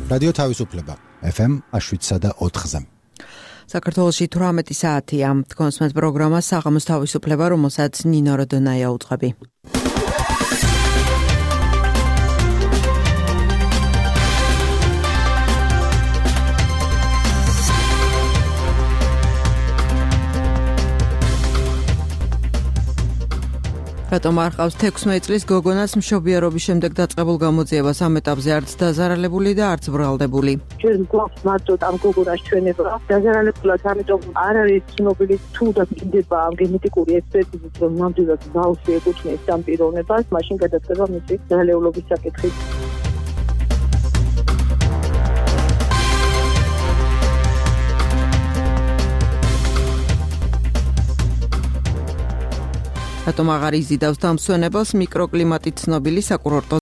რადიო თავისუფლება FM 7.4-ზე. საქართველოში 18 საათია. კონსმეთ პროგრამა საღამოს თავისუფლება, რომელსაც ნინო როდონაია უძღვები. რატომ არ ყავს 16 წლის გოგონას მშობიარობის შემდეგ დაწყებულ გამოძიებას ამ ეტაპზე არც დაზარალებული და არც ბრალდებული. ჩვენ გვაქვს მარტო ამ გოგონას ჩვენება დაზარალებულად, ამიტომ არ არის ცნობილი თუ და მინდება ამ გენეტიკური ექსპერტიზით, რომ ნამდვილად ბავშვი ეკუთვნის ამ პიროვნებას, მაშინ გადაწყდება მისი დალეულობის საკითხი. რატომ აღარ იზიდავს დამსვენებელს მიკროკლიმატით ცნობილი საკურორტო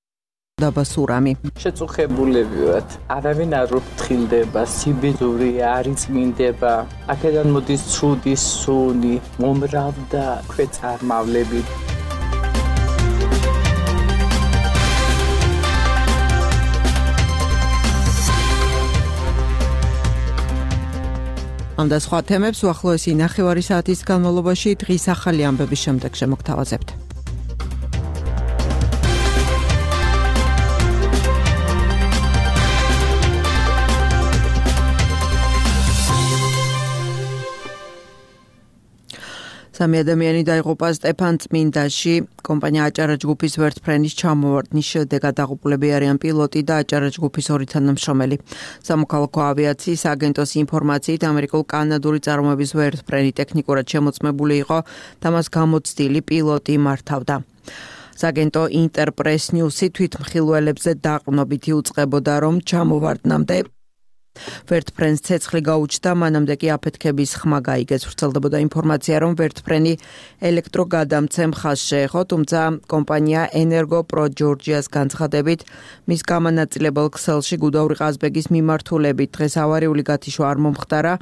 დაბა სურამი. შეწუხებულები ვართ. არავინ არ უფრთხილდება, სიბიძური არ იწმინდება. აქედან მოდის ცუდი სუნი, მომრავდა ქვეწარმავლები. ამ და სხვა თემებს უახლოესი 9 საათის განმავლობაში დღის ახალი ამბების შემდეგ შემოგთავაზებთ. სამი ადამიანი დაიღუპა სტეფანწმინდაში. კომპანია აჭარა ჯგუფის ვერტფრენის ჩამოვარდნის შედეგად დაღუპულები არიან პილოტი და აჭარა ჯგუფის ორი თანამშრომელი. სამოქალაქო ავიაციის აგენტოს ინფორმაციით ამერიკულ-კანადური წარმოების ვერტფრენი ტექნიკურად შემოწმებული იყო და მას გამოცდილი პილოტი მართავდა. საგენტო ინტერპრეს ნიუსი თვითმხილველებზე დაყრდნობით იუწყებოდა, რომ ჩამოვარდნამდე ვერტფრენს ცეცხლი გაუჩნდა, მანამდე კი აფეთქების ხმა გაიგეს. ვრცელდებოდა ინფორმაცია, რომ ვერტფრენი ელექტროგადამცე მხას შეეხო, თუმცა კომპანია ენერგო პრო ჯორჯიას განცხადებით, მის გამანაწილებელ ქსელში გუდაური ყაზბეგის მიმართულებით დღეს ავარიული გათიშვა არ მომხდარა,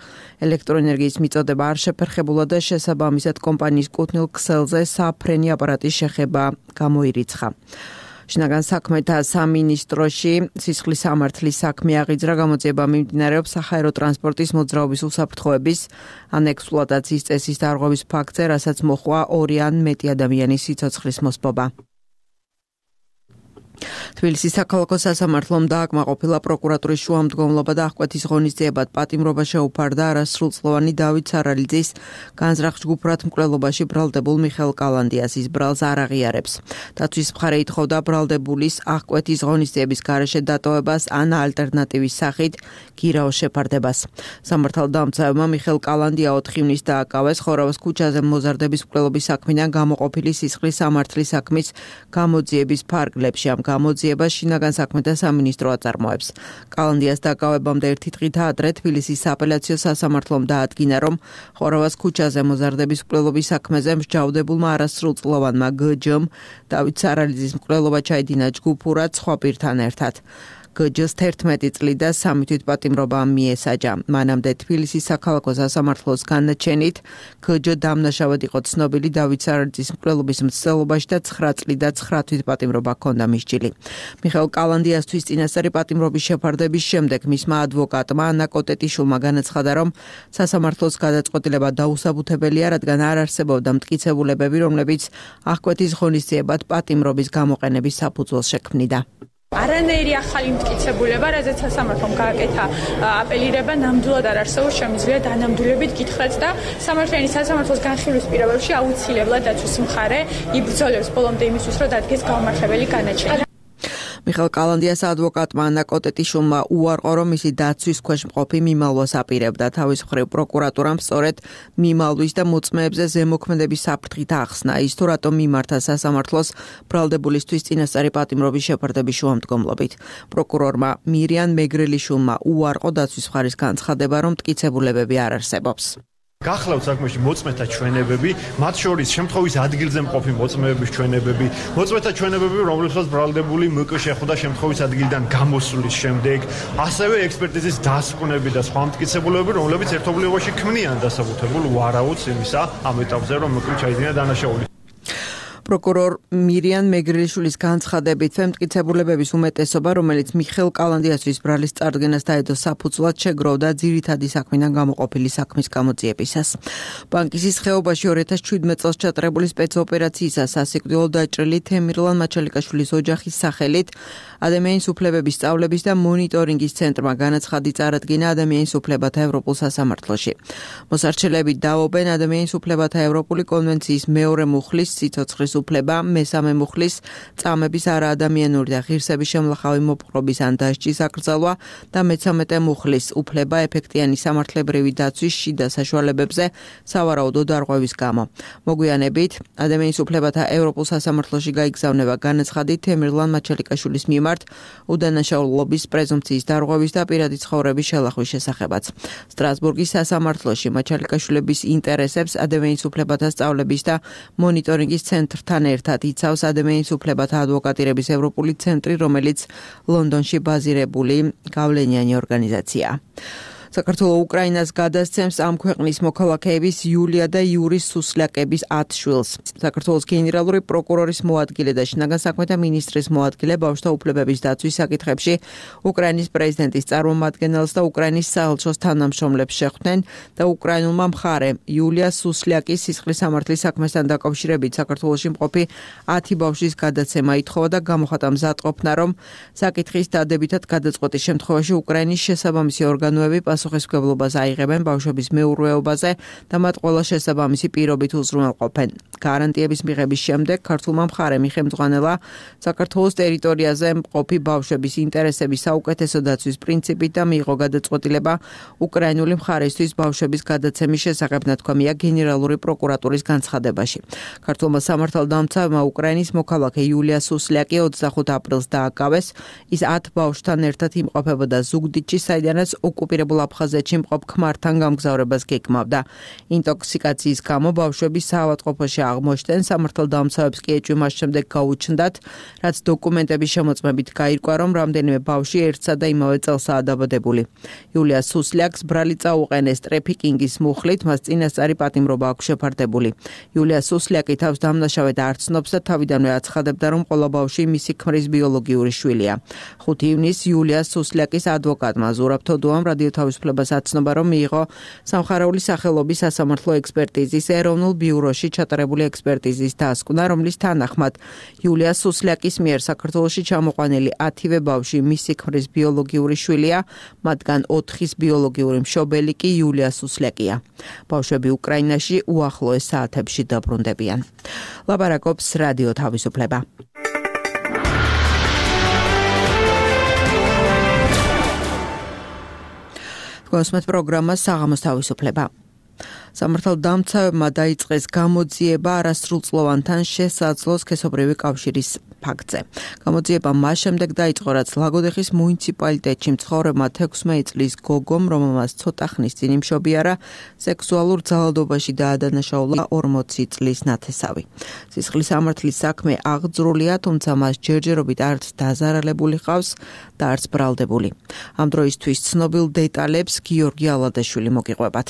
ელექტროენერგიის მიწოდება არ შეფერხებულა და შესაბამისად კომპანიის კუთვნილ ქსელზე საფრენი აპარატის შეხება გამოირიცხა. შინაგან საქმეთა სამინისტროში სისხლის სამართლის საქმე აღიძრა. გამოძიება მიმდინარეობს საჰაერო ტრანსპორტის მოძრაობის უსაფრთხოების ან ექსპლუატაციის წესის დარღვევის ფაქტზე, რასაც მოჰყვა 2 ან მეტი ადამიანის სიცოცხლის მოსპობა. თბილისის საქალაქო სასამართლომ დააკმაყოფილა პროკურატურის შუამდგომლობა და აღკვეთის ღონისძიებად პატიმრობა შეუფარდა არასრულწლოვანი დავით სარალიძის განზრახ ჯგუფურად მკვლელობაში ბრალდებულ მიხეილ კალანდიას. ის ბრალს არ აღიარებს. დაცვის მხარე ითხოვდა ბრალდებულის აღკვეთის ღონისძიების გარეშე დატოვებას ან ალტერნატივის სახით გირაოს შეფარდებას. სამართალდამცავებმა მიხეილ კალანდია 4 ივნის დააკავეს ხორავის ქუჩაზე მოზარდების მკვლელობის საქმიდან გამოყოფილი სისხლის სამართლის საქმის გამოძიების ფარგლებში. ამ გამოძიებას შინაგან საქმეთა სამინისტრო აწარმოებს. კალანდიას დაკავებამდე 1 დღით ადრე თბილისის სააპელაციო სასამართლომ დაადგინა, რომ ხორავას ქუჩაზე მოზარდების მკვლელობის საქმეზე მსჯავრდებულმა არასრულწლოვანმა გჯ-მ დავით სარალიძის მკვლელობა ჩაიდინა ჯგუფურად სხვა პირთან ერთად. გჯ-ს 11 წლი და 3 თვით პატიმრობა მიესაჯა. მანამდე თბილისის საქალაქო სასამართლოს განაჩენით გჯ დამნაშავედ იყო ცნობილი დავით სარალიძის მკვლელობის მცდელობაში და 9 წლი და 9 თვით პატიმრობა ჰქონდა მისჯილი. მიხეილ კალანდიასთვის წინასწარი პატიმრობის შეფარდების შემდეგ მისმა ადვოკატმა ანა კოტეტიშვილმა განაცხადა, რომ სასამართლოს გადაწყვეტილება დაუსაბუთებელია, რადგან არ არსებობდა მტკიცებულებები, რომლებიც აღკვეთის ღონისძიებად პატიმრობის გამოყენების საფუძველს შექმნიდა. არანაირი ახალი მტკიცებულება, რაზეც სასამართლომ გააკეთა აპელირება, ნამდვილად არ არსებობს, შემიძლია დანამდვილებით გითხრათ და სამართლიანი სასამართლოს განხილვის პირობებში აუცილებლად დაცვის მხარე იბრძოლებს ბოლომდე იმისთვის, რომ დადგეს გაუმართლებელი განაჩენი. მიხეილ კალანდიას ადვოკატმა ანა კოტეტიშვილმა უარყო, რომ მისი დაცვის ქვეშ მყოფი მიმალვას აპირებდა. თავის მხრივ პროკურატურამ სწორედ მიმალვის და მოწმეებზე ზემოქმედების საფრთხით ახსნა ის, თუ რატომ მიმართა სასამართლოს ბრალდებულისთვის წინასწარი პატიმრობის შეფარდების შუამდგომლობით. პროკურორმა მირიან მეგრელიშვილმა უარყო დაცვის მხარის განცხადება, რომ მტკიცებულებები არ არსებობს. გახლავთ საქმეში მოწმეთა ჩვენებები, მათ შორის შემთხვევის ადგილზე მყოფი მოწმეების ჩვენებები, მოწმეთა ჩვენებები, რომლებსაც ბრალდებული მკ შეხვდა შემთხვევის ადგილიდან გამოსulis შემდეგ, ასევე ექსპერტიზის დასკვნები და სხვა მტკიცებულებები, რომლებიც ერთობლიობაში ქმნიან დასაბუთებულ ვარაუდს იმისა ამ ეტაპზე, რომ მკ ჩაიდინა დანაშაული. პროკურორ მირიან მეგრელიშვილის განცხადებით, ფემტკიცებულებების უმეტესობა, რომელიც მიხეილ კალანდიაშვილის ბრალის წარდგენას დაედო საფუძვლად, შეგროვდა ძირითადი საქმიდან გამოყოფილი საქმის გამოძიებისას. ბანკისის ხეობაში 2017 წელს ჩატარებული სპეცოპერაციისას სასიკვდილოდ დაჭრილი თემირლან მაჩალიკაშვილის ოჯახის სახელით ადამიანის უფლებების სწავლების და მონიტორინგის ცენტრმა განაცხადი წარადგინა ადამიანის უფლებათა ევროპულ სასამართლოში. მოსარჩელები დაობენ ადამიანის უფლებათა ევროპული კონვენციის მეორე მუხლის სიცოცხლის უფლება, მესამე მუხლის წამების არაადამიანური და ღირსების შემლახავი მოპყრობის ან დასჯის აკრძალვა და მე-13 მუხლის უფლება ეფექტიანი სამართლებრივი დაცვის შიდა საშუალებებზე სავარაუდო დარღვევის გამო. მოგვიანებით ადამიანის უფლებათა ევროპულ სასამართლოში გაიგზავნება განაცხადი თემირლან მაჩალიკაშვილის მიმართ უდანაშაულობის პრეზუმპციის დარღვევის და პირადი ცხოვრების შელახვის შესახებაც. სტრასბურგის სასამართლოში მაჩალიკაშვილების ინტერესებს ადამიანის უფლებათა სწავლების და მონიტორინგის ცენტრთან ერთად იცავს ადამიანის უფლებათა ადვოკატირების ევროპული ცენტრი, რომელიც ლონდონში ბაზირებული გავლენიანი ორგანიზაციაა. საქართველოს უკრაინას გადასცემს ამ ქვეყნის მოქალაქეების იულია და იურის სუსლაკების 10 შვილს. საქართველოს გენერალური პროკურორის მოადგილე და შინაგან საქმეთა მინისტრის მოადგილე ბავშვთა უფლებების დაცვის საკითხებში უკრაინის პრეზიდენტის წარმომადგენელს და უკრაინის საელჩოს თანამშრომლებს შეხვდნენ და უკრაინულმა მხარემ იულია სუსლაკის სისხლის სამართლის საქმესთან დაკავშირებით საქართველოში მყოფი 10 ბავშვის გადაცემა ითხოვა და გამოხატა მზადყოფნა, რომ საკითხის დადებითად გადაწყვეტის შემთხვევაში უკრაინის შესაბამისი ორგანოები პასუხისმგებლობას აიღებენ ბავშვების მეურვეობაზე და მათ ყველა შესაბამისი პირობით უზრუნველყოფენ. გარანტიების მიღების შემდეგ ქართულმა მხარემ იხელმძღვანელა საქართველოს ტერიტორიაზე მყოფი ბავშვების ინტერესების საუკეთესო დაცვის პრინციპით და მიიღო გადაწყვეტილება უკრაინული მხარისთვის ბავშვების გადაცემის შესახებ, ნათქვამია გენერალური პროკურატურის განცხადებაში. ქართულმა სამართალდამცავმა უკრაინის მოქალაქე იულია სუსლაკი 25 აპრილს დააკავეს. ის 10 ბავშვთან ერთად იმყოფებოდა ზუგდიდში, საიდანაც ოკუპირებულ აფხაზეთში მყოფ ქმართან გამგზავრებას გეკმავდა. ინტოქსიკაციის გამო ბავშვები საავადმყოფოში აღმოჩნდნენ. სამართალდამცავებს კი ეჭვი მას შემდეგ გაუჩნდათ, რაც დოკუმენტების შემოწმებით გაირკვა, რომ რამდენიმე ბავშვი ერთსა და იმავე წელსაა დაბადებული. იულია სუსლაკს ბრალი წაუყენეს ტრეფიკინგის მუხლით, მას წინასწარი პატიმრობა აქვს შეფარდებული. იულია სუსლაკი თავს დამნაშავედ არ ცნობს და თავიდანვე აცხადებდა, რომ ყველა ბავშვი მისი ქმრის ბიოლოგიური შვილია. 5 ივნისს იულია სუსლაკის ადვოკატმა ზურაბ თოდუამ რადიო თავისუფლებას აცნობა, რომ მიიღო სამხარეული სახელობის სასამართლო ექსპერტიზის ეროვნულ ბიუროში ჩატარებული ექსპერტიზის დასკვნა, რომლის თანახმად იულია სუსლაკის მიერ საქართველოში ჩამოყვანილი 10-ვე ბავშვი მისი ქმრის ბიოლოგიური შვილია, მათგან 4-ის ბიოლოგიური მშობელი კი იულია სუსლაკია. ბავშვები უკრაინაში უახლოეს საათებში დაბრუნდებიან. ლაპარაკობს რადიო თავისუფლება. კონსმეთ პროგრამა საღამოს თავისუფლება. სამართალდამცავებმა დაიწყეს გამოძიება არასრულწლოვანთან შესაძლო სქესობრივი კავშირის ფაქტზე. გამოძიება მას შემდეგ დაიწყო, რაც ლაგოდეხის მუნიციპალიტეტში მცხოვრებმა 16 წლის გოგომ, რომელმაც ცოტა ხნის წინ იმშობიარა, სექსუალურ ძალადობაში დაადანაშაულა 40 წლის ნათესავი. სისხლის სამართლის საქმე აღძრულია, თუმცა მას ჯერჯერობით არც დაზარალებული ყავს და არც ბრალდებული. ამ დროისთვის ცნობილ დეტალებს გიორგი ალადაშვილი მოგიყვებათ.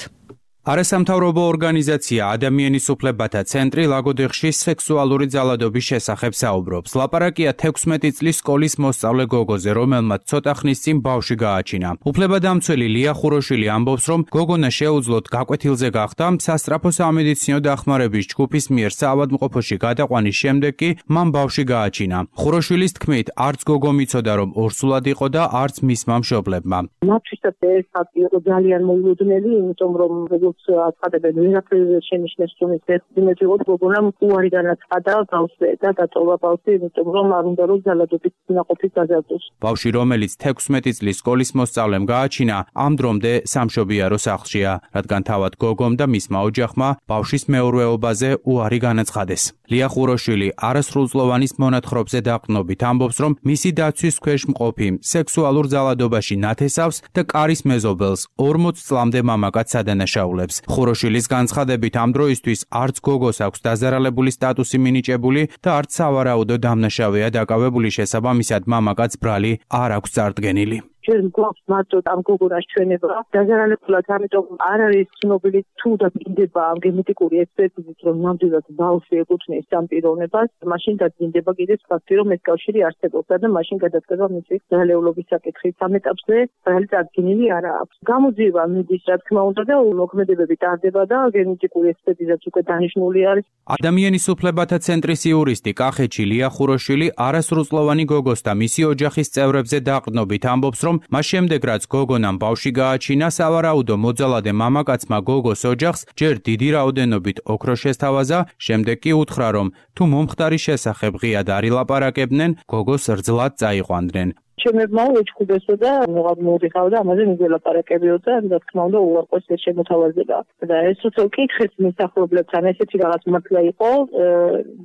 არასამთავრობო ორგანიზაცია ადამიანის უფლებათა ცენტრი ლაგოდეხში სექსუალური ძალადობის შესახებ საუბრობს. ლაპარაკია 16 წლის სკოლის მოსწავლე გოგოზე, რომელმაც ცოტა ხნის წინ ბავშვი გააჩინა. უფლებადამცველი ლია ხუროშვილი ამბობს, რომ გოგონა შეუძლოდ გაკვეთილზე გახდა, სასწრაფო სამედიცინო დახმარების ჯგუფის მიერ საავადმყოფოში გადაყვანის შემდეგ კი მან ბავშვი გააჩინა. ხუროშვილის თქმით, არც გოგო მიცოდა, რომ ორსულად იყო და არც მისმა მშობლებმა. მათთვისაც ეს ფაქტი იყო ძალიან მოულოდნელი, იმიტომ რომ აცხადებენ ვერაფერზე შენიშნეს, რომ ეს იმედია გოგონამ უარი განაცხადა ბავშვზე და დატოვა ბავშვი, იმიტომ რომ არ უნდა რომ ძალადობის ნაყოფი გაზარდოს. ბავშვი, რომელიც 16 წლის სკოლის მოსწავლემ გააჩინა, ამ დრომდე სამშობიარო სახლშია, რადგან თავად გოგომ და მისმა ოჯახმა ბავშვის მეურვეობაზე უარი განაცხადეს. ლია ხუროშვილი არასრულწლოვანის მონათხრობზე დაყრდნობით ამბობს, რომ მისი დაცვის ქვეშ მყოფი სექსუალურ ძალადობაში ნათესავს და კარის მეზობელს 40 წლამდე მამაკაც ადანაშაულებს. ხუროშვილის განცხადებით ამ დროისთვის არც გოგოს აქვს დაზარალებული სტატუსი მინიჭებული და არც სავარაუდო დამნაშავეა დაკავებული, შესაბამისად მამაკაც ბრალი არ აქვს წარდგენილი. ჯერ გვაქვს მარტო ამ გოგონას ჩვენება დაზარალებულად, ამიტომ არ არის ცნობილი თუ დაგინდება ამ გენეტიკური ექსპერტიზით, რომ ნამდვილად ბავშვი ეკუთვნის ამ პიროვნებას, მაშინ დაგინდება კიდეც ფაქტი, რომ ეს კავშირი არსებობდა და მაშინ გადადგება მისი ძალეულობის საკითხი. ამ ეტაპზე რეალურად დადგენილი არ აქვს. გამოძიება მიდის, რა თქმა უნდა, და მოქმედებები ტარდება და გენეტიკური ექსპერტიზაც უკვე დანიშნული არის. ადამიანის უფლებათა ცენტრის იურისტი კახეთში ლია ხუროშვილი არასრულწლოვანი გოგოს და მისი ოჯახის წევრებზე დაყრდნობით ამბობს, რომ მას შემდეგ რაც გოგონამ ბავშვი გააჩინა, სავარაუდო მოძალადე მამაკაცმა გოგოს ოჯახს ჯერ დიდი რაოდენობით ოქრო შესთავაზა, შემდეგ კი უთხრა, რომ თუ მომხდარის შესახებ ღიად არ ილაპარაკებდნენ, გოგოს რძლად წაიყვანდნენ. ჩემებმა ეჭვებესო და მოვიხავ და ამაზე მიგველაპარაკებიო და რა თქმა უნდა უარყოფს ეს შემოთავაზება. და ეს უცებ კითხეთ მსახურებლებთან ესეთი რაღაც მართლა იყო,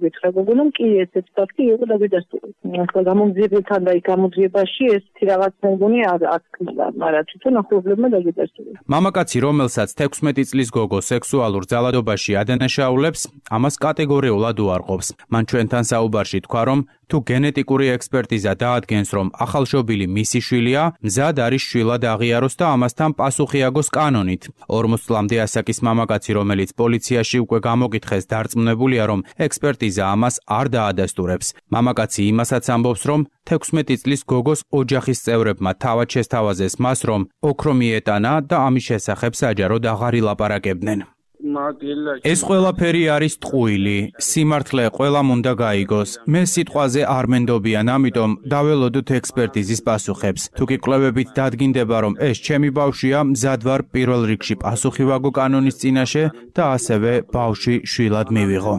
გითხრა გოგონამ კი ესეთი ფაქტი იყო და გადასტური. ახლა გამოძიებებთან და გამოძიებაში ესეთი რაღაც მეგონი არ აკმადა, მაგრამ თვითონ ახლობლებმა დაგიდასტური. მამაკაცი, რომელსაც 16 წლის გოგო სექსუალურ ძალადობაში ადანაშაულებს, ამას კატეგორიულად უარყოფს. მან ჩვენთან საუბარში თქვა, რომ თუ გენეტიკური ექსპერტიზა დაადგენს, რომ ახალშობილი მისი შვილია, მზად არის შვილად აღიაროს და ამასთან პასუხი აგოს კანონით. 40 წლამდე ასაკის მამაკაცი, რომელიც პოლიციაში უკვე გამოგითხეს, დარწმუნებულია, რომ ექსპერტიზა ამას არ დაადასტურებს. მამაკაცი იმასაც ამბობს, რომ 16 წლის გოგოს ოჯახის წევრებმა თავად შესთავაზეს მას, რომ ოქრო მიეტანა და ამის შესახებ საჯაროდ აღარ ილაპარაკებდნენ. ეს ყველაფერი არის ტყუილი, სიმართლე ყველამ უნდა გაიგოს. მე სიტყვაზე არ მენდობიან, ამიტომ დაველოდოთ ექსპერტიზის პასუხებს. თუ კი კვლევებით დადგინდება, რომ ეს ჩემი ბავშვია, მზად ვარ პირველ რიგში პასუხი ვაგო კანონის წინაშე და ასევე ბავშვი შვილად მივიღო.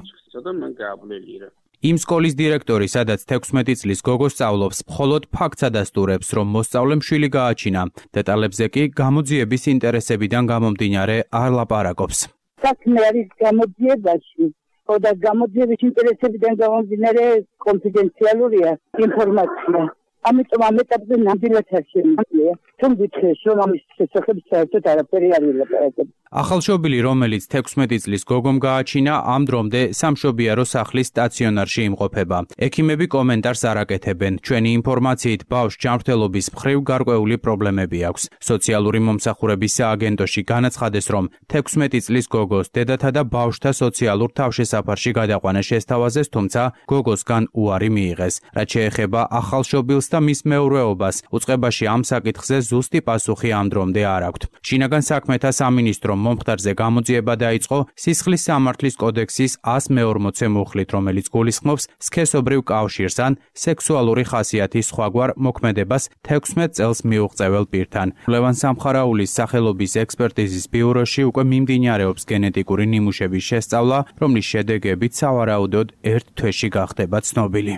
იმ სკოლის დირექტორი, სადაც 16 წლის გოგო სწავლობს, მხოლოდ ფაქტს ადასტურებს, რომ მოსწავლემ შვილი გააჩინა. დეტალებზე კი გამოძიების ინტერესებიდან გამომდინარე არ ლაპარაკობს. საქმე არის გამოძიებაში, და გამოძიების ინტერესებიდან გამომდინარე კონფიდენციალურია ინფორმაცია. ამიტომ ამ ეტაპზე ნამდვილად არ შემიძლია. თუმცა გითხრეს, რომ ამის შესახებ საერთოდ არაფერი არ ვილაპარაკებ. ახალშობილი, რომელიც 16 წლის გოგომ გააჩინა, ამ დრომდე სამშობიარო სახლის სტაციონარში იმყოფება. ექიმები კომენტარს არ აკეთებენ. ჩვენი ინფორმაციით, ბავშვს ჯანმრთელობის მხრივ გარკვეული პრობლემები აქვს. სოციალური მომსახურების სააგენტოში განაცხადეს, რომ 16 წლის გოგოს დედათა და ბავშვთა სოციალურ თავშესაფარში გადაყვანა შესთავაზეს, თუმცა გოგოსგან უარი მიიღეს. რაც შეეხება ახალშობილს და მის მეურვეობას, უწყებაში ამ საკითხზე ზუსტი პასუხი ამ დრომდე არ აქვთ. შინაგან საქმეთა სამინისტრო მომხდარზე გამოძიება დაიწყო სისხლის სამართლის კოდექსის 140 მუხლით, რომელიც გულისხმობს სქესობრივ კავშირს ან სექსუალური ხასიათის სხვაგვარ მოქმედებას 16 წელს მიუღწეվել პირთან. ლევან სამხარაულის სახელობის ექსპერტიზის ბიუროში უკვე მიმდინარეობს გენეტიკური ნიმუშების შესწავლა, რომლის შედეგებით სავარაუდოდ ერთ თვეში გახდება ცნობილი.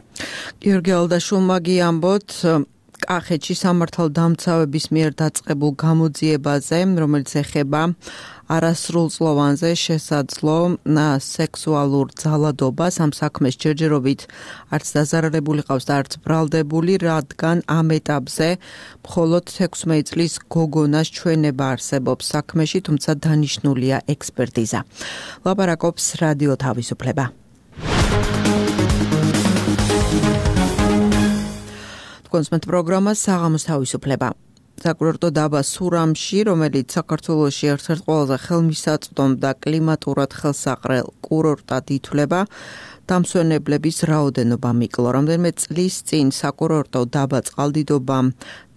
გიორგი ალდაშვილმა ამბობთ კახეთში სამართალდამცავების მიერ დაწყებულ გამოძიებაზე, რომელიც ეხება არასრულწლოვანზე შესაძლო სექსუალურ ძალადობას. ამ საქმეს ჯერჯერობით არც დაზარალებული ყავს და არც ბრალდებული, რადგან ამ ეტაპზე მხოლოდ 16 წლის გოგონას ჩვენება არსებობს საქმეში, თუმცა დანიშნულია ექსპერტიზა. ლაპარაკობს რადიო თავისუფლება. კონსმეთ პროგრამა საღამოს თავისუფლება. საკურორტო დაბა სურამში, რომელიც საქართველოში ერთ-ერთ ყველაზე ხელმისაწვდომ და კლიმატურად ხელსაყრელ კურორტად ითვლება, დამსვენებლების რაოდენობა მიკლო. რამდენიმე წლის წინ საკურორტო დაბა წყალდიდობამ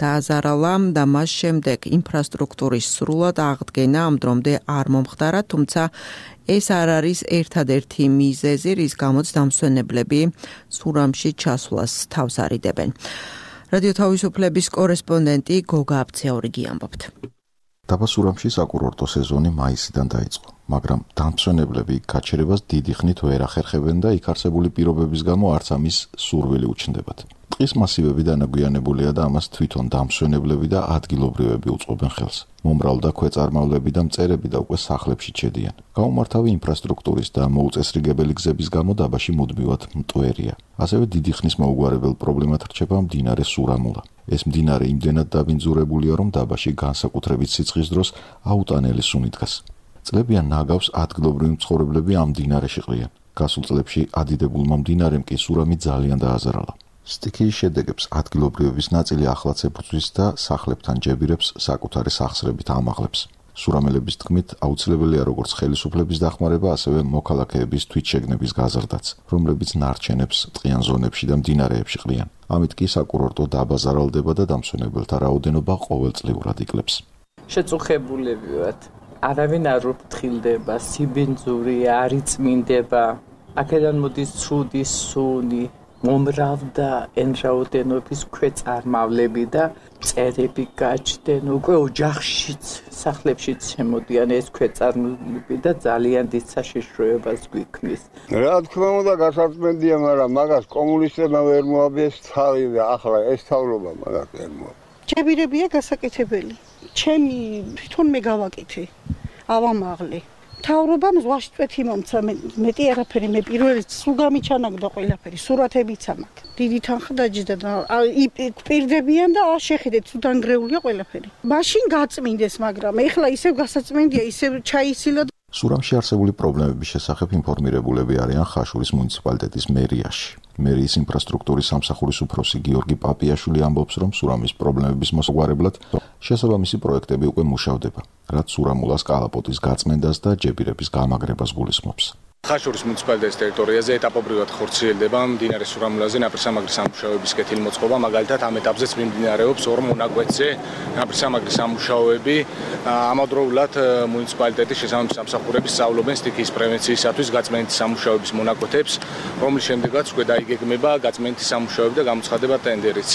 დააზარალა და მას შემდეგ ინფრასტრუქტურის სრულად აღდგენა ამ დრომდე არ მომხდარა, თუმცა ეს არ არის ერთადერთი მიზეზი, რის გამოც დამსვენებლები სურამში ჩასვლას თავს არიდებენ. რადიო თავისუფლების კორესპონდენტი გოგა აბცეორიგი ამბობთ. დაბა სურამში საკურორტო სეზონი მაისიდან დაიწყო, მაგრამ დამსვენებლები გაჩერებას დიდი ხნით ვერ ახერხებენ და იქ არსებული პირობების გამო არც ამის სურვილი უჩნდებათ. ტყის მასივები დანაგვიანებულია და ამას თვითონ დამსვენებლები და ადგილობრივები უწყობენ ხელს. მომრავლ და ქვეწარმავლები და მწერები და უკვე სახლებში ჩედიან. გაუმართავი ინფრასტრუქტურის და მოუწესრიგებელი გზების გამო დაბაში მუდმივად მტვერია. ასევე დიდი ხნის მოუგვარებელ პრობლემად რჩება მდინარე სურამულა. ეს მდინარე იმდენად დაბინძურებულია, რომ დაბაში განსაკუთრებით სიცხის დროს აუტანელი სუნი დგას. წლებიან ნაგავს ადგილობრივი მცხოვრებლები ამ მდინარეში ყრიან. გასულ წლებში ადიდებულმა მდინარემ კი სურამი ძალიან დააზარალა. სტიქიის შედეგებს ადგილობრივების ნაწილი ახლაც ეფუძვის და სახლებთან ჯებირებს საკუთარი სახსრებით ამაღლებს. სურამელების თქმით, აუცილებელია როგორც ხელისუფლების დახმარება, ასევე მოქალაქეების თვითშეგნების გაზრდაც, რომლებიც ნარჩენებს ტყიან ზონებში და მდინარეებში ყრიან. ამით კი საკურორტო დაბაზარალდება და დამსვენებელთა რაოდენობა ყოველწლიურად იკლებს. შეწუხებულები ვართ. არავინ არ უფრთხილდება, სიბინძური არ იწმინდება. აქედან მოდის ცუდი სუნი, მომრავდა ენრაოდენობის ქვეწარმავლები და წერები გაჩნდნენ. უკვე ოჯახშიც, სახლებშიც შემოდიან ეს ქვეწარმავლები და ძალიან დიდ საშიშროებას გვიქმნის. რა თქმა უნდა, გასაწმენდია, მაგრამ მაგას კომუნისტებმა ვერ მოაბიეს თავი და ახლა ეს თავრობა მაგას ვერ მოაბიეს. ჯებირებია გასაკეთებელი. ჩემი თვითონ მე გავაკეთე. ავამაღლე. თავრობამ ზღვაში წვეთი მომცა, მეტი არაფერი, მე პირველად სულ გამიჩანაგდა ყველაფერი, სურათებიც ამაქვს. დიდი თანხა დაჯდა და პირდებიან და შეხედეთ, თუ დანგრეულია ყველაფერი. მაშინ გაწმინდეს, მაგრამ ეხლა ისევ გასაწმენდია, ისევ ჩაისილა. სურამში არსებული პრობლემების შესახებ ინფორმირებულები არიან ხაშურის მუნიციპალიტეტის მერიაში. მერიის ინფრასტრუქტურის სამსახურის უფროსი გიორგი პაპიაშვილი ამბობს, რომ სურამის პრობლემების მოსაგვარებლად შესაბამისი პროექტები უკვე მუშავდება, რაც სურამულას კალაპოტის გაწმენდას და ჯებირების გამაგრებას გულისხმობს. ხაშურის მუნიციპალიტეტის ტერიტორიაზე ეტაპობრივად ხორციელდება მდინარე სურამულაზე ნაპირსამაგრის სამუშაოების კეთილმოწყობა, მაგალითად ამ ეტაპზეც მიმდინარეობს ორ მონაკვეთზე ნაპირსამაგრის სამუშაოები. ამავდროულად მუნიციპალიტეტის შესაბამისი სამსახურები სწავლობენ სტიქიის პრევენციისათვის გაწმენდის სამუშაოების მონაკვეთებს, რომლის შემდეგაც უკვე დაიგეგმება გაწმენდის სამუშაოები და გამოცხადება ტენდერიც.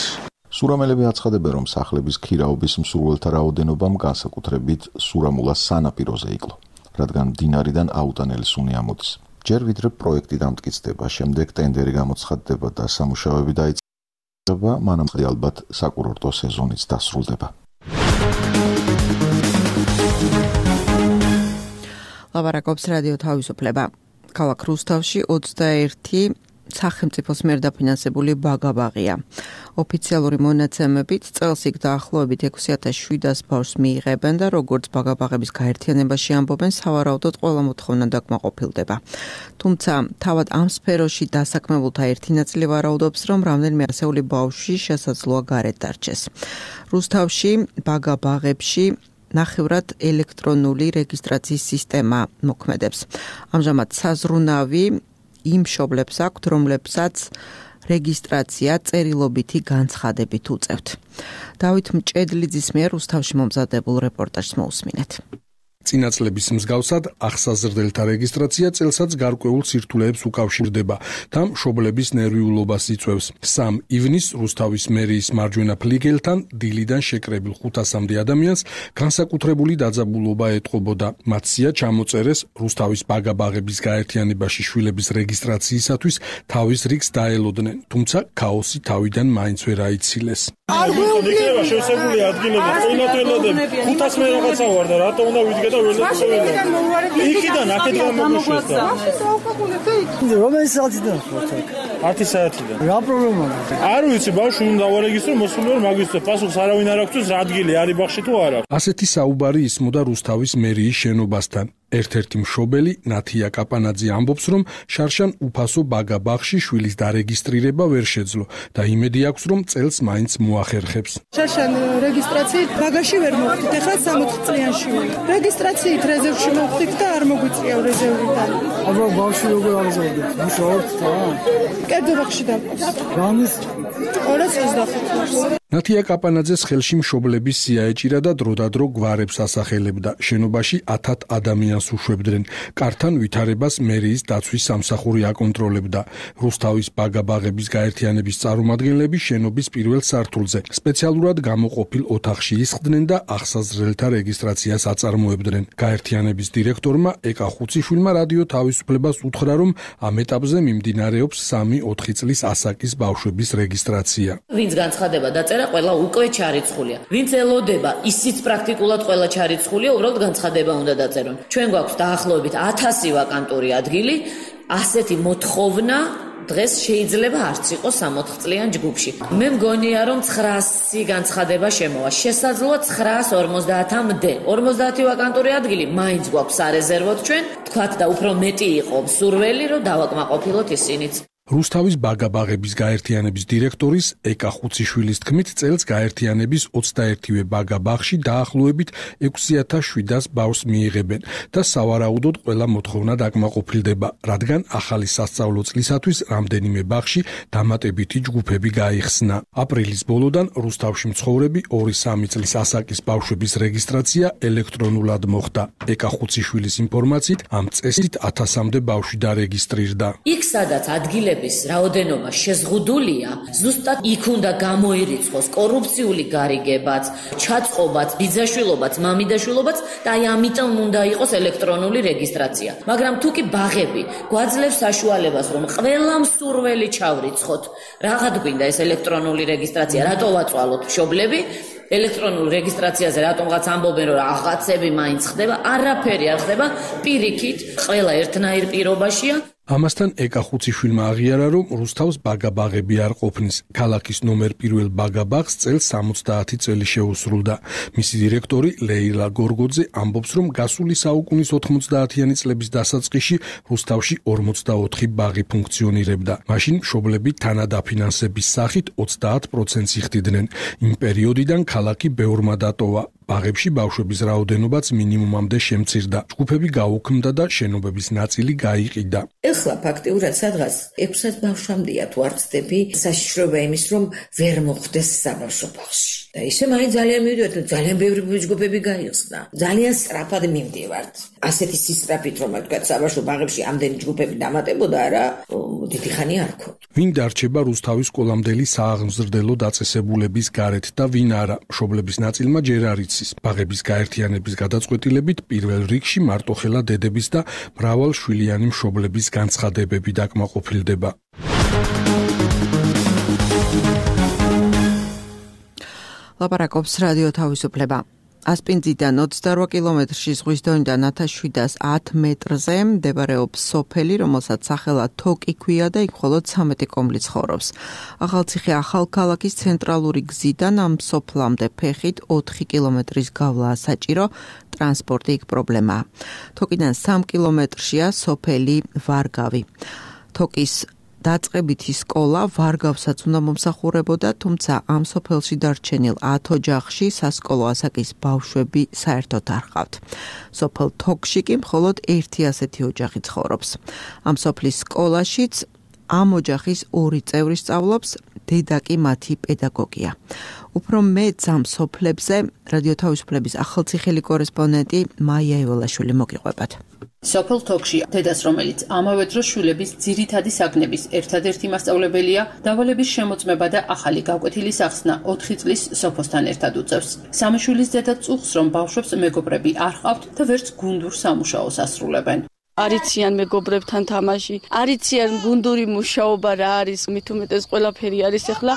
სურამელები აცხადებენ, რომ სახლების ქირაობის მსურველთა რაოდენობამ განსაკუთრებით სურამულას სანაპიროზე იკლო, რადგან მდინარიდან აუტანელი სუნი ამოდის. ჯერ ვიდრე პროექტი დამტკიცდება, შემდეგ ტენდერი გამოცხადდება და სამუშაოები დაიწყება, მანამდე ალბათ საკურორტო სეზონიც დასრულდება. ლაპარაკობს რადიო თავისუფლება. ქალაქ რუსთავში 21 სახელმწიფოს მიერ დაფინანსებული ბაგა-ბაღია. ოფიციალური მონაცემებით წელს იქ დაახლოებით 6,700 ბავშვს მიიღებენ და როგორც ბაგა-ბაღების გაერთიანებაში ამბობენ, სავარაუდოდ ყველა მოთხოვნა დაკმაყოფილდება. თუმცა თავად ამ სფეროში დასაქმებულთა ერთი ნაწილი ვარაუდობს, რომ რამდენიმე ასეული ბავშვი შესაძლოა გარეთ დარჩეს. რუსთავში ბაგა-ბაღებში ნახევრად ელექტრონული რეგისტრაციის სისტემა მოქმედებს. ამჟამად საზრუნავი იმ მშობლებს აქვთ, რომლებსაც რეგისტრაცია წერილობითი განცხადებით უწევთ. დავით მჭედლიძის მიერ რუსთავში მომზადებულ რეპორტაჟს მოусმინეთ. წინა წლების მსგავსად ახსაზრდელთა რეგისტრაცია წელსაც გარკვეულ სირთულეებს უკავშირდება და მშობლების ნერვიულობას იწვევს. 3 ივნისს რუსთავის მერიის მარჯვენა ფლიგელთან დილიდან შეკრებილ 500-მდე ადამიანს განსაკუთრებული დაძაბულობა ეტყობოდა. მათ სია ჩამოწერეს რუსთავის ბაგა-ბაღების გაერთიანებაში შვილების რეგისტრაციისათვის თავის რიგს დაელოდნენ, თუმცა ქაოსი თავიდან მაინც ვერ აიცილეს. არ გვეუბნება შევსებული ადგილები, ყინათელადები, 500 მე რაღაცა ვარ და რატო უნდა ვიდგე და იქიდან აქეთ გამოგვიშვეს. რომელი საათიდან ხართ აქ? 10 საათიდან. რა პრობლემაა? არ ვიცი, ბავშვი უნდა ვარეგისტრო, მოსული ვარ მაგისტრო, პასუხს არავინ არ აქვს, რა ადგილი არის ბაღში თუ არა. ასეთი საუბარი ისმოდა რუსთავის მერიის შენობასთან. ერთ-ერთი მშობელი ნათია კაპანაძე ამბობს, რომ შარშან უფასო ბაგა-ბაღში შვილის დარეგისტრირება ვერ შეძლო და იმედი აქვს, რომ წელს მაინც მოახერხებს. შარშან რეგისტრაციით ბაგაში ვერ მოვხდით, ახლა 60 წლიანში ვარ. რეგისტრაციით რეზერვში მოვხდით და არ მოგვიწია რეზერვიდან. აბა ბავშვი როგორ აღზევდით? მუშაობთ თან? კერძო ბაღში დავყავს. რამის 225 ნათია კაპანაძეს ხელში მშობლების სია ეჭირა და დროდადრო გვარებს ასახელებდა. შენობაში 1000 ადამიანს უშვებდნენ. კართან ვითარებას მერიის დაცვის სამსახური აკონტროლებდა. რუსთავის ბაგა-ბაღების გაერთიანების წარმომადგენლები შენობის პირველ სართულზე სპეციალურად გამოყოფილ ოთახში ისხდნენ და ახსაზრდელთა რეგისტრაციას აწარმოებდნენ. გაერთიანების დირექტორმა ეკა ხუციშვილმა რადიო თავისუფლებას უთხრა, რომ ამ ეტაპზე მიმდინარეობს 3-4 წლის ასაკის ბავშვების რეგისტრაცია. ვინც განცხადება დაწერა, ყველა უკვე ჩარიცხულია. ვინც ელოდება, ისიც პრაქტიკულად ყველა ჩარიცხულია, უბრალოდ განცხადება უნდა დაწერონ. ჩვენ გვაქვს დაახლოებით 1000 ვაკანტური ადგილი, ასეთი მოთხოვნა დღეს შეიძლება არც იყოს 60 წლიან ჯგუფში. მე მგონია, რომ 900 განცხადება შემოვა. შესაძლოა 950-მდე. 50 ვაკანტური ადგილი მაინც გვაქვს სარეზერვოდ ჩვენ. თქვათ და უფრო მეტი იყო მსურველი, რომ დავაკმაყოფილოთ ისინიც. რუსთავის ბაგა-ბაღების გაერთიანების დირექტორის ეკა ხუციშვილის თქმით, წელს გაერთიანების 21-ვე ბაგა-ბაღში დაახლოებით 6700 ბავშვს მიიღებენ და სავარაუდოდ ყველა მოთხოვნა დაკმაყოფილდება, რადგან ახალი სასწავლო წლისათვის რამდენიმე ბაღში დამატებითი ჯგუფები გაიხსნა. აპრილის ბოლოდან რუსთავში მცხოვრები 2-3 წლის ასაკის ბავშვების რეგისტრაცია ელექტრონულად მოხდა. ეკა ხუციშვილის ინფორმაციით, ამ წესით 1000-მდე ბავშვი დარეგისტრირდა. იქ სადაც ადგილების რაოდენობა შეზღუდულია, ზუსტად იქ უნდა გამოირიცხოს კორუფციული გარიგებაც, ჩაწყობაც, ბიძაშვილობაც, მამიდაშვილობაც და აი ამიტომ უნდა იყოს ელექტრონული რეგისტრაცია. მაგრამ თუ კი ბაღები გვაძლევს საშუალებას, რომ ყველა მსურველი ჩავრიცხოთ, რაღაც გვინდა ეს ელექტრონული რეგისტრაცია, რატო ვაწვალოთ მშობლები? ელექტრონულ რეგისტრაციაზე რატომღაც ამბობენ, რომ რაღაცები მაინც ხდება, არაფერი არ ხდება, პირიქით, ყველა ერთნაირ პირობაშია. ამასთან ეკა ხუციშვილმა აღიარა, რომ რუსთავს ბაგა-ბაღები არ ყოფნის. ქალაქის ნომერ 1 ბაგა-ბაღს წელს 70 წელი შეუსრულდა. მისი დირექტორი ლეილა გორგოძე ამბობს, რომ გასული საუკუნის 90-იანი წლების დასაწყისში რუსთავში 44 ბაღი ფუნქციონირებდა. მაშინ მშობლები თანადაფინანსების სახით 30%-ს იხდიდნენ. იმ პერიოდიდან ქალაქი ბევრმა დატოვა. ბაღებში ბავშვების რაოდენობაც მინიმუმამდე შემცირდა. ჯგუფები გაუქმდა და შენობების ნაწილი გაიყიდა. ეხლა ფაქტიურად სადღაც 600 ბავშვამდეა თუ არ ვცდები, საშიშროება იმის, რომ ვერ მოხვდეს საბავშვო ბაღში. და ისე მაინც ძალიან მივიდივართ, ძალიან ბევრი ჯგუფები გაიხსნა. ძალიან სწრაფად მივდივართ. ასეთი სისწრაფით, რომ თქვა საბავშვო ბაღებში ამდენი ჯგუფები დამატებოდა რა, დიდი ხანი არ ქონდა. ვინ დარჩება რუსთავის სკოლამდელი სააღმზრდელო დაწესებულების გარეთ და ვინ არა, მშობლების ნაწილმა ჯერ არ იცის. ბაღების გაერთიანების გადაწყვეტილებით პირველ რიგში მარტოხელა დედების და მრავალშვილიანი მშობლების განცხადებები დაკმაყოფილდება. ლაპარაკობს რადიო თავისუფლება. ასპინძიდან 28 კილომეტრში ზღვის დონიდან 1710 მეტრზე მდებარეობს სოფელი, რომელსაც სახელად თოკი ქვია და იქ მხოლოდ 13 კომლი ცხოვრობს. ახალციხე ახალქალაქის ცენტრალური გზიდან ამ სოფლამდე ფეხით 4 კილომეტრის გავლაა საჭირო, ტრანსპორტი იქ პრობლემაა. თოკიდან 3 კილომეტრშია სოფელი ვარგავი. თოკის დაწყებითი სკოლა ვარგავსაც უნდა მომსახურებოდა, თუმცა ამ სოფელში დარჩენილ 10 ოჯახში სასკოლო ასაკის ბავშვები საერთოდ არ ჰყავთ. სოფელ თოკში კი მხოლოდ ერთი ასეთი ოჯახი ცხოვრობს. ამ სოფლის სკოლაშიც ამ ოჯახის 2 წევრი სწავლობს, დედა კი მათი პედაგოგია. უფრო მეც ამ სოფლებზე რადიო თავისუფლების ახალციხელი კორესპონდენტი მაია იოლაშვილი მოგიყვებათ. სოფელ თოკში დედას, რომელიც ამავე დროს შვილების ძირითადი საგნების ერთადერთი მასწავლებელია, დავალების შემოწმება და ახალი გაკვეთილის ახსნა 4 წლის სოფოსთან ერთად უწევს. სამი შვილის დედა წუხს, რომ ბავშვებს მეგობრები არ ჰყავთ და ვერც გუნდურ სამუშაოს ასრულებენ. არიციან მეგობრებთან თამაში, არიციან გუნდური მუშაობა რა არის, მით უმეტეს ყველაფერი არის ახლა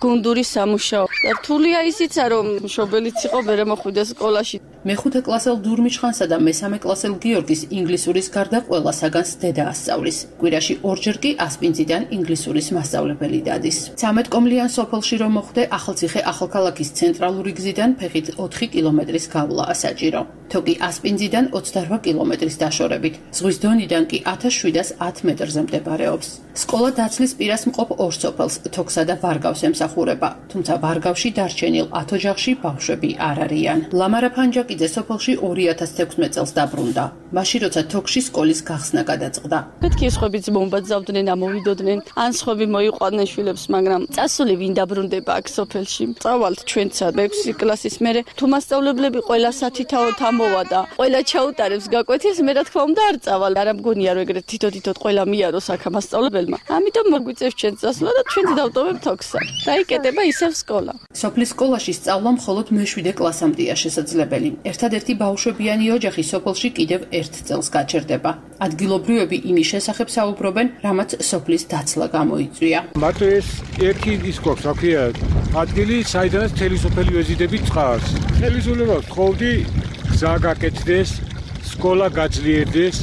გუნდური სამუშაო. და რთულია ისიცა, რომ მშობელიც იყო ვერ მოხვიდა სკოლაში. მეხუთე კლასელ დურმიჩხანსა და მესამე კლასელ გიორგის ინგლისურის გარდა ყველა საგანს დედა ასწავლის. კვირაში ორჯერ კი ასპინძიდან ინგლისურის მასწავლებელი დადის. 13 კომლიან სოფელში რომ მოხვდე, ახალციხე ახალქალაქის ცენტრალური გზიდან ფეხით 4 კილომეტრის გავლაა საჭირო. თოკი ასპინძიდან 28 კილომეტრის დაშორებით. ზღვის დონიდან კი 1710 მეტრზე მდებარეობს. სკოლა დაცლის პირას მყოფ ორ სოფელს, თოქსა და ვარგავს ემსახურება, თუმცა ვარგავში დარჩენილ 10 ოჯახში ბავშვები არ არიან. ლამარა ფანჯაკიძე სოფელში 2016 წელს დაბრუნდა. მაშინ როცა თოქში სკოლის გახსნა გადაწყდა. მეთქი სხვებიც მომბაძავდნენ, ამოვიდოდნენ, ან სხვები მოიყვადნენ შვილებს, მაგრამ წასული ვინ დაბრუნდება აქ სოფელში. წავალთ ჩვენცა 6 კლასის მერე, თუ მასწავლებლები ყველა სათითაოდ ამოვა და ყველა ჩაუტარებს გაკვეთილს, მე რა თქმა უნდა არ წავალ. არა მგონია რომ ეგრეთ თითო-თითოდ ყველა მიაროს აქ მასწავლებელმა. ამიტომ მოგვიწევს ჩვენ წასვლა და ჩვენც დავტოვებთ თოქსა. დაიკეტება ისევ სკოლა. სოფლის სკოლაში სწავლა მხოლოდ მე-7 კლასამდეა შესაძლებელი. ერთადერთი ბავშვებიანი ოჯახი სოფელში კიდევ 1 წელს გაჩერდება. ადგილობრივები იმის შესახებ საუბრობენ, რამაც სოფლის დაცლა გამოიწვია. მათ ეს ერთი ის გვაქვს, აქია ადგილი, საიდანაც მთელი სოფელი ვეზიდებით წყარს. ხელისუფლებას ვთხოვდი, გზა გაკეთდეს, სკოლა გაძლიერდეს,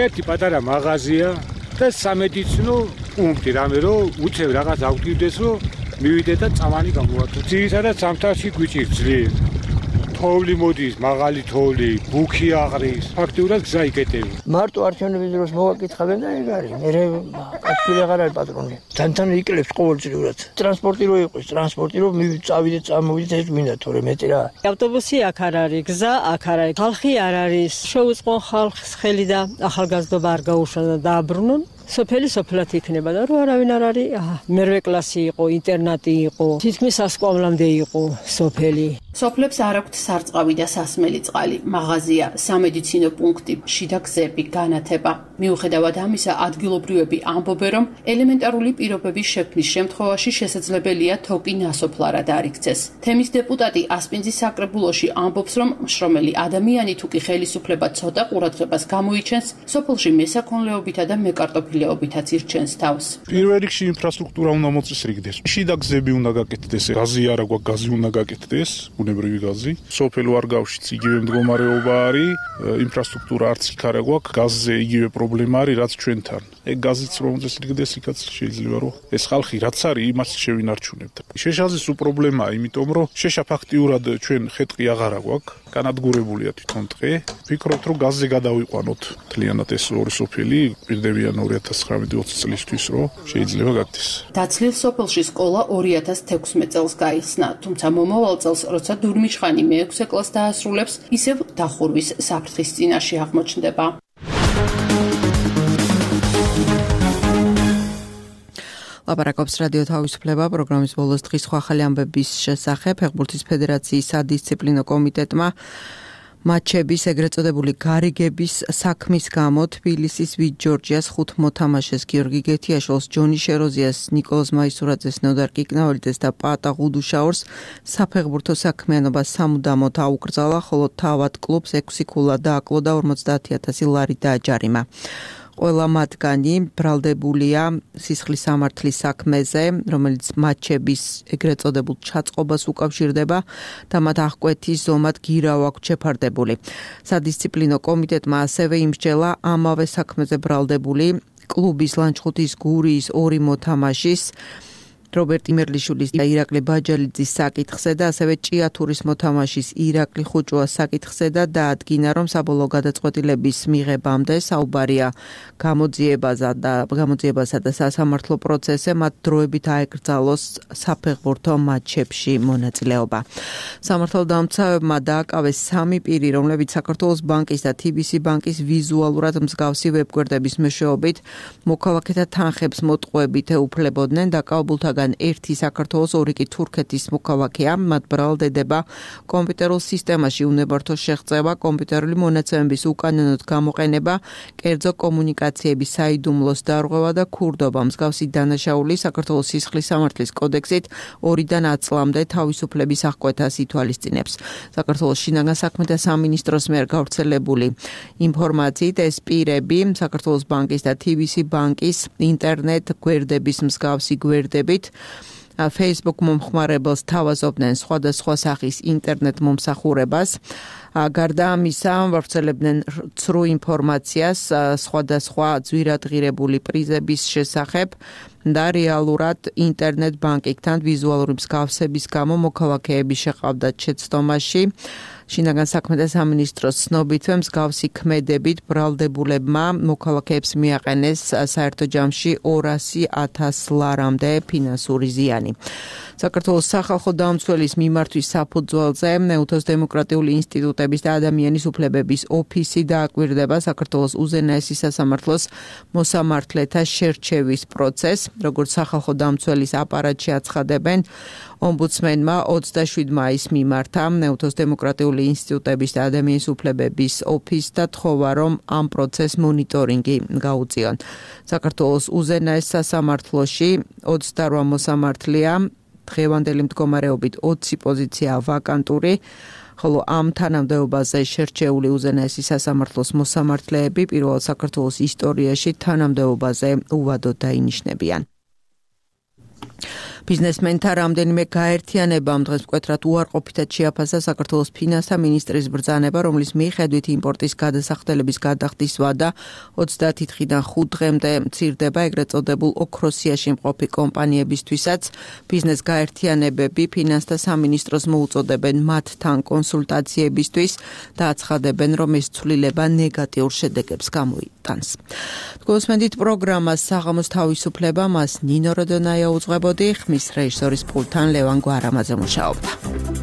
ერთი პატარა მაღაზია და სამედიცინო პუნქტი, რამე რომ უცებ რაღაც აღვდივდეს, რომ მივიდეთ და წამანი გამოვართო. ძირითადად სამთავში გვიჭირს ძლიერ. თოვლი მოდის, მაღალი თოვლი, ბუქი აყრის, ფაქტიურად გზა იკეტები. მარტო არჩევნების დროს მოვაკითხავენ და ეგ არის. მე კაცი აღარ არის პატრონი. თან იკლებს ყოველწლიურად. ტრანსპორტი რო იყოს, ტრანსპორტი რო წავიდეთ, წამოვიდეთ, ეს გვინდა თორე მეტი რა. ავტობუსი აქ არ არის, გზა აქ არ არის, ხალხი არ არის. შეუწყო ხალხს ხელი და ახალგაზრდობა არ გაუშვა და დააბრუნონ. სოფელი სოფლად იქნება და რო არავინ არ არის, მერვე კლასი იყო, ინტერნატი იყო, თითქმის სასწავლამდე იყო სოფელი. სოფლებს არ აქვთ სარწყავი და სასმელი წყალი, მაღაზია, სამედიცინო პუნქტი, შიდა გზები, განათება. მიუხედავად ამისა, ადგილობრივები ამბობენ, რომ ელემენტარული პირობების შექმნის შემთხვევაში შესაძლებელია თოკი ნასოფლარად არ იქცეს. თემის დეპუტატი ასპინძის საკრებულოში ამბობს, რომ მშრომელი ადამიანი თუ კი ხელისუფლება ცოტა ყურადღებას გამოიჩენს, სოფელში მესაქონლეობითა და მეკარტოფილეობითაც ირჩენს თავს. პირველ რიგში ინფრასტრუქტურა უნდა მოწესრიგდეს. შიდა გზები უნდა გაკეთდეს, გაზი არა გვაქვს, გაზი უნდა გაკეთდეს. ბუნებრივი გაზი. სოფელ ვარგავშიც იგივე მდგომარეობა არის, ინფრასტრუქტურა არც იქ არა გვაქვს, გაზზე იგივე პრობლემა არის, რაც ჩვენთან. ეგ გაზიც რომ წესრიგდეს, იქაც შეიძლება რომ ეს ხალხი რაც არის, იმას შევინარჩუნებთ. შეშაზის პრობლემაა, იმიტომ რომ შეშა ფაქტიურად ჩვენ ხეტყი აღარა გვაქვს, განადგურებულია თვითონ ტყე. ვფიქრობთ, რომ გაზზე გადავიყვანოთ მთლიანად ეს ორი სოფელი, პირდებიან 2019-20 წლისთვის, რომ შეიძლება გაკეთდეს. დაცლილ სოფელში სკოლა 2016 წელს გაიხსნა, თუმცა მომავალ წელს როცა დურმიშხანი მე-6 კლასს დაასრულებს, ისევ დახურვის საფრთხის წინაშე აღმოჩნდება. ლაპარაკობს რადიო თავისუფლება პროგრამის ბოლოს დღის ახალი ამბების შესახებ. ფეხბურთის ფედერაციის სადისციპლინო კომიტეტმა მატჩების ეგრეთ წოდებული გარიგების საქმის გამო თბილისის ვიტ ჯორჯიას 5 მოთამაშეს გიორგი გეთიაშვილს, ჯონი შეროზიას, ნიკოლოზ მაისურაძეს, ნოდარ კიკნაოლიძეს და პატა ღუდუშაურს საფეხბურთო საქმიანობა სამუდამოდ აუკრძალა, ხოლო თავად კლუბს 6 ქულა დააკლო და 50,000 ლარი დააჯარიმა. ყველა მათგანი ბრალდებულია სისხლის სამართლის საქმეზე, რომელიც მატჩების ეგრეთ წოდებულ ჩაწყობას უკავშირდება და მათ აღკვეთის ზომად გირავ აქვთ შეფარდებული. სადისციპლინო კომიტეტმა ასევე იმსჯელა ამავე საქმეზე ბრალდებული კლუბის ლანჩხუთის გურიის 2 მოთამაშის რობერტ იმერლიშვილის და ირაკლი ბაჯალიძის საკითხზე და ასევე ჭიათურის მოთამაშის ირაკლი ხუჭუას საკითხზე და დაადგინა, რომ საბოლოო გადაწყვეტილების მიღებამდე საუბარია გამოძიებასა და სასამართლო პროცესზე მათ დროებით აეკრძალოს საფეხბურთო მატჩებში მონაწილეობა. სამართალდამცავებმა დააკავეს 3 პირი, რომლებიც საქართველოს ბანკის და TBC ბანკის ვიზუალურად მსგავსი ვებგვერდების მეშვეობით მოქალაქეთა თანხებს მოტყუებით ეუფლებოდნენ. დაკავებულთაგან ერთი საქართველოს, 2 კი თურქეთის მოქალაქეა. მათ ბრალდება კომპიუტერულ სისტემაში უნებართო შეღწევა, კომპიუტერული მონაცემების უკანონოდ გამოყენება, კერძო კომუნიკაციების საიდუმლოს დარღვევა და ქურდობა. მსგავსი დანაშაული საქართველოს სისხლის სამართლის კოდექსით 2-დან 10 წლამდე თავისუფლების აღკვეთას ითვალისწინებს. საქართველოს შინაგან საქმეთა სამინისტროს მიერ გავრცელებული ინფორმაციით ეს პირები საქართველოს ბანკის და TBC ბანკის ინტერნეტ გვერდების მსგავსი გვერდებით Facebook მომხმარებელს თავაზობდნენ სხვადასხვა სახის ინტერნეტ მომსახურებას. გარდა ამისა, ვრცელებდნენ ცრუ ინფორმაციას სხვადასხვა ძვირადღირებული პრიზების შესახებ და რეალურად ინტერნეტ ბანკინგთან ვიზუალური მსგავსების გამო მოქალაქეები შეყავდათ შეცდომაში. შინაგან საქმეთა სამინისტროს ცნობითვე მსგავსი ქმედებით ბრალდებულებმა მოქალაქეებს მიაყენეს საერთო ჯამში 200,000 ლარამდე ფინანსური ზიანი. საქართველოს სახალხო დამცველის მიმართვის საფუძველზე ნეუთოს დემოკრატიული ინსტიტუტების და ადამიანის უფლებების ოფისი დააკვირდება საქართველოს უზენაესი სასამართლოს მოსამართლეთა შერჩევის პროცესს, როგორც სახალხო დამცველის აპარატში აცხადებენ. ომბუდსმენმა 27 მაისს მიმართა ნეუთოს დემოკრატიული ინსტიტუტების და ადამიანის უფლებების ოფისს და თხოვა, რომ ამ პროცესს მონიტორინგი გაუწიონ. საქართველოს უზენაეს სასამართლოში 28 მოსამართლეა, დღევანდელი მდგომარეობით 20 პოზიცია ვაკანტური, ხოლო ამ თანამდებობაზე შერჩეული უზენაესი სასამართლოს მოსამართლეები პირველ საქართველოს ისტორიაში თანამდებობაზე უვადოდ დაინიშნებიან. ბიზნესმენთა რამდენიმე გაერთიანებამ დღეს მკვეთრად უარყოფითად შეაფასა საქართველოს ფინანსთა მინისტრის ბრძანება, რომლის მიხედვით იმპორტის გადასახდელების გადახდის ვადა 30 დღიდან 5 დღემდე მცირდება ეგრეთ წოდებულ ოქროსიაში მყოფი კომპანიებისთვისაც. ბიზნეს გაერთიანებები ფინანსთა სამინისტროს მოუწოდებენ მათთან კონსულტაციებისთვის და აცხადებენ, რომ ეს ცვლილება ნეგატიურ შედეგებს გამოიწვევს. მოუტანს. გოსმენდით პროგრამას საღამოს თავისუფლება მას ნინო როდონაია უძღვებოდი, ხმის რეჟისორის პულტთან ლევან გვარამაძე მუშაობდა.